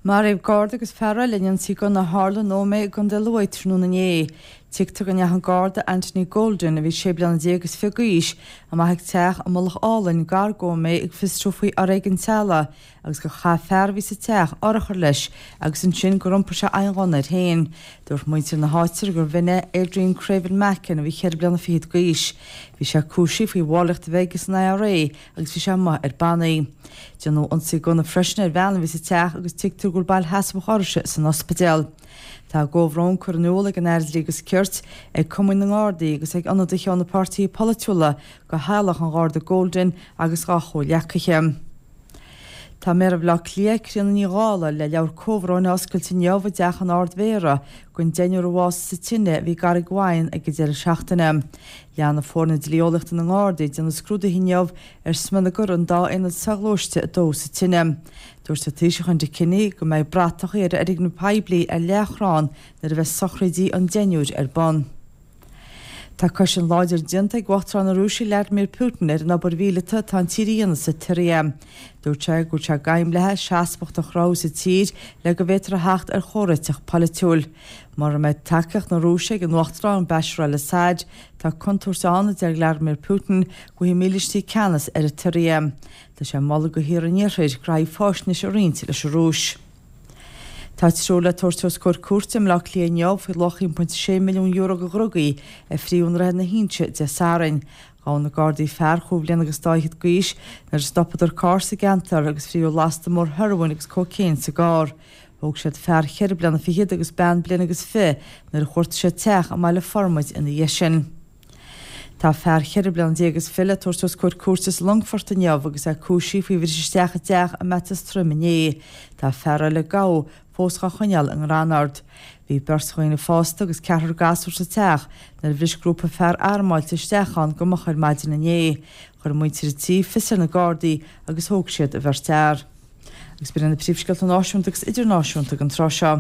Maraíodh Garda agus fear eile in ionsaí gunna a tharla in Ómaigh i gContae Lú tráthnóna inné. Tuigtear go ndeachaigh an Garda Anthony Golden, a bhí sé bliana déag is fiche d'aois, amach ag teach i Mullach Álainn gar d'Ómaigh ag fiosrú faoi fhoréigean teaghlaigh agus gur chaith fear a bhí sa teach urchar leis agus ansin gur iompair sé adhain ghunna air féin. Dúirt muintir na háite gurbh in é Adrian Craven Mackin a bhí cheithre bliana fichead d'aois. Bhí sé cúisithe faoi bhallraíocht a bheith aige san IRA agus bhí sé amuigh ar bannaí. Déanadh ionsaí gunna freisin ar bhean a bhí sa teach agus tuigtear go bhfuil bail sheasmhach uirthise san ospidéal. Tá a gcomhbhrón curtha in iúl ag an Aire Dlí agus Cirt, ag Cumainn na nGardaí agus ag ionadaithe ó na páirtithe polaitiúla go theaghlach an Gharda Golden agus dá chomhghleacaithe. Tá Méara Bhaile Átha Cliath, Críona Ní Dhálaigh, le leabhar comhbhróin a oscailt inniu i dTeach an Ard-Mhéara don deichniúr a bhásaigh sa tine a bhí i gCarraig Mhaighin ag an deireadh seachtaine. Leanfaidh foirne dlí-eolaíochta na nGardaí ag déanamh scrúduithe inniu ar smionagar an dá aonad soghluaiste a dódh sa tine. Dúirt an Taoiseach Enda Kenny go mbeidh bratachaí ar fhoirgnimh poiblí ar leathchrann nuair a bheas sochraidí an deichniúir ar bun. Tá cosaint láidir déanta ag Uachtarán na Rúise Vladimir Putin ar an obair mhíleata atá an tír a dhéanamh sa tSiria. Dúirt sé go bhfuil sé gairmlithe seasmhacht a chruthú sa tír le go bhféadfar a theacht ar chomhréiteach polaitiúil. Mura mbeidh tacaíocht na Rúise ag an Uachtarán Bashar al-Assad, tá contúirt ann, a deir Vladimir Putin, go bhfaighidh mílístí ceannas ar an tSiria. Tá sé ag moladh do thíortha an Iarthair graithí faisnéise a roinnt leis an Rúis. Tá triúr le tabhairt os comhair cúirte i mBleá Cliath inniu faoi luach €1.6 milliún de dhrugaí a frítheadh i nDroichead na hInse Dé Sathairn. Ghabh na Gardaí fear chúig bhliana agus dá fhichead d'aois nuair a stopadar carr sa gceantar agus frítheadh lasta mór hearóin agus cócaon sa gcarr. Thóg siad fear cheithre bliana fichead agus bean bliain agus fiche nuair a chuartaigh siad teach i mBaile Formaid ina dhiaidh sin. Tá fear cheithre bliana déag is fiche le tabhairt os comhair cúirte sa Longfort inniu agus é cúisithe faoi bhris isteach i dteach i mBeatas Troim inné. Tá fear eile a gabhadh fós dhá choinneáil i nGrannard. Bhí beirt dhaoine fásta agus ceathrar gasúr sa teach nuair a bhris grúpa fear armáilte isteach ann go moch ar maidin inné. Chuir muintir an tí fios ar na Gardaí agus thóg siad an bheirt fhear. Agus b'in iad na príomhscéalta náisiúnta agus idirnáisiúnta don tráth seo.